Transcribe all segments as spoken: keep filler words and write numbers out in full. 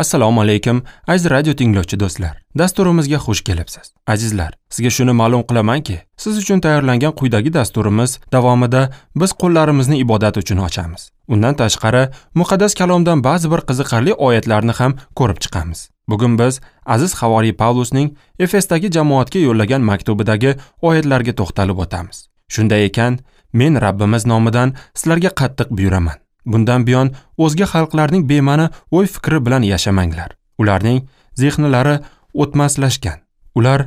Assalomu alaykum, aziz radio tinglovchi do'stlar. Dasturimizga xush kelibsiz. Azizlar, sizga shuni ma'lum qilamanki, siz uchun tayyorlangan quyidagi dasturimiz davomida biz qo'llarimizni ibodat uchun ochamiz. Undan tashqari, muqaddas kalomdan ba'zi bir qiziqarli oyatlarni ham ko'rib chiqamiz. Bugun biz aziz havoriy Pavlusning Efesdagi jamoatga yo'llagan maktubidagi oyatlarga to'xtalib o'tamiz. Shunday ekan, men Rabbimiz nomidan sizlarga qattiq buyuraman. Bundan buyon o'zga xalqlarning bema'ni o'y-fikri bilan yashamanglar. Ularning zehnlari o'tmaslashgan. Ular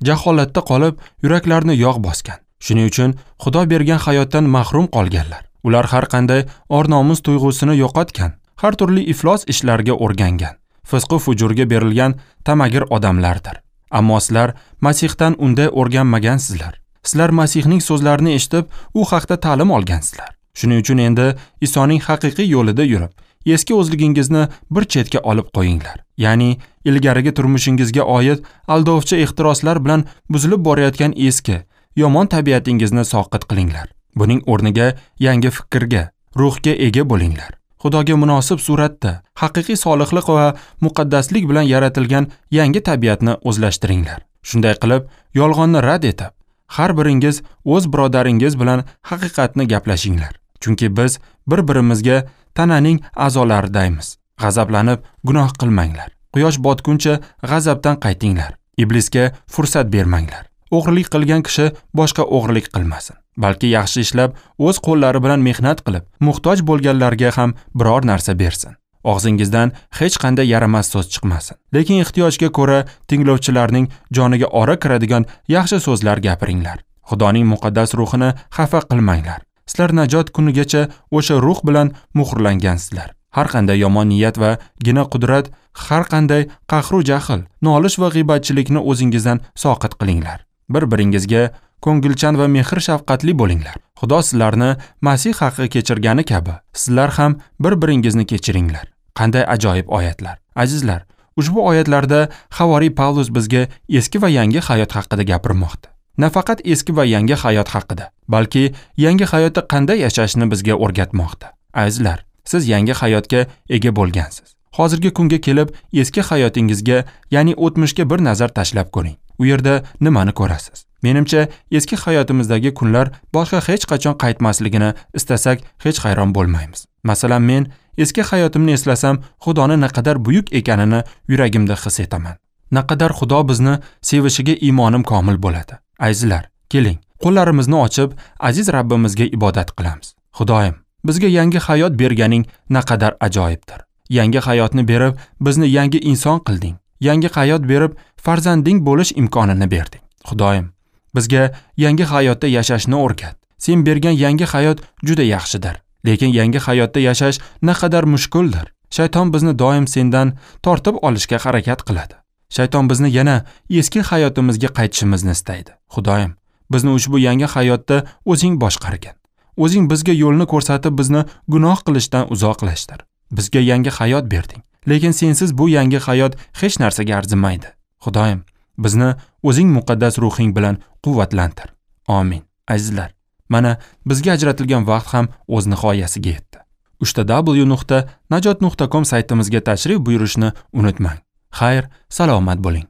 jaholatda qolib, yuraklarini yog' bosgan. Shuning uchun Xudo bergan hayotdan mahrum qolganlar. Ular har qanday or-nomus tuyg'usini yo'qotgan, har turli iflos ishlarga o'rgangan, fisqu fujurga berilgan tamagir odamlardir. Ammo sizlar Masihdan unday o'rganmagansizlar. Sizlar Masihning so'zlarini eshitib, u haqda ta'lim olgansizlar. Shuning uchun endi Isoning haqiqiy yo'lida yurib, eski o'zligingizni bir chetga olib qo'yinglar. Ya'ni ilgarigi turmushingizga oid aldovchi ehtiroslar bilan buzilib borayotgan eski, yomon tabiatingizni soqit qilinglar. Buning o'rniga yangi fikrga, ruhga ega bo'linglar. Xudoga munosib suratda, haqiqiy solihlik va muqaddaslik bilan yaratilgan yangi tabiatni o'zlashtiringlar. Shunday qilib, yolg'onni rad etib, har biringiz o'z birodaringiz bilan haqiqatni gaplashinglar. Chunki biz bir-birimizga tananing a'zolaridaymiz. G'azablanib gunoh qilmanglar. Quyosh botguncha g'azabdan qaytinglar. Iblisga fursat bermanglar. O'g'irlik qilgan kishi boshqa o'g'irlik qilmasin, balki yaxshi ishlab, o'z qo'llari bilan mehnat qilib, muhtoj bo'lganlarga ham biror narsa bersin. Og'zingizdan hech qanday yaramas so'z chiqmasin. Lekin ehtiyojga ko'ra tinglovchilarning joniga ora kiradigan yaxshi so'zlar gapiringlar. Xudoning muqaddas ruhini xafa qilmanglar. Sizlar najot kunigacha o'sha ruh bilan muhrlangansizlar. Har qanday yomon niyat va gina qudrat, har qanday qahru jahl, nolish va g'iybatchilikni o'zingizdan soqit qilinglar. Bir-biringizga ko'ngilchan va mehr shafqatli bo'linglar. Xudo sizlarni Masih haqi kechirgani kabi, sizlar ham bir-biringizni kechiringlar. Qanday ajoyib oyatlar. Azizlar, ushbu oyatlarda havoriy Pavlus bizga eski va yangi hayot haqida gapirmoqda. Nafaqat eski va yangi hayot haqida, balki yangi hayotda qanday yashashni bizga o'rgatmoqda. Azizlar, siz yangi hayotga ega bo'lgansiz. Hozirgi kunga kelib eski hayotingizga, ya'ni o'tmishga bir nazar tashlab ko'ring. U yerda nimani ko'rasiz? Menimcha, eski hayotimizdagi kunlar boshqa hech qachon qaytmasligini istasak, hech hayron bo'lmaymiz. Masalan, men eski hayotimni eslasam, Xudoni naqadar buyuk ekanini yuragimda his etaman. Naqadar Xudo bizni sevishiga iymonim komil bo'ladi. Azizlar, keling, qo'llarimizni ochib, aziz Rabbimizga ibodat qilamiz. Xudoyim, bizga yangi hayot berganing naqadar ajoyibdir. Yangi hayotni berib, bizni yangi inson qilding. Yangi hayot berib, farzanding bo'lish imkonini berding. Xudoyim, bizga yangi hayotda yashashni o'rgat. Sen bergan yangi hayot juda yaxshidir. Lekin yangi hayotda yashash naqadar mushkuldir. Shayton bizni doim sendan tortib olishga harakat qiladi. Shayton bizni yana eski hayotimizga qaytishimizni istaydi. Xudoyim, bizni ushbu yangi hayotda o'zing boshqargin. O'zing bizga yo'lni ko'rsatib, bizni gunoh qilishdan uzoqlashtir. Bizga yangi hayot berding. Lekin sensiz bu yangi hayot hech narsaga arzimaydi. Xudoyim, bizni o'zing muqaddas ruhing bilan quvvatlantir. Amin. Azizlar, mana bizga ajratilgan vaqt ham o'z nihoyasiga yetdi. uch ta w nuqta najot nuqta com saytimizga tashrif buyurishni unutmang. Xayr, salomat bo'ling.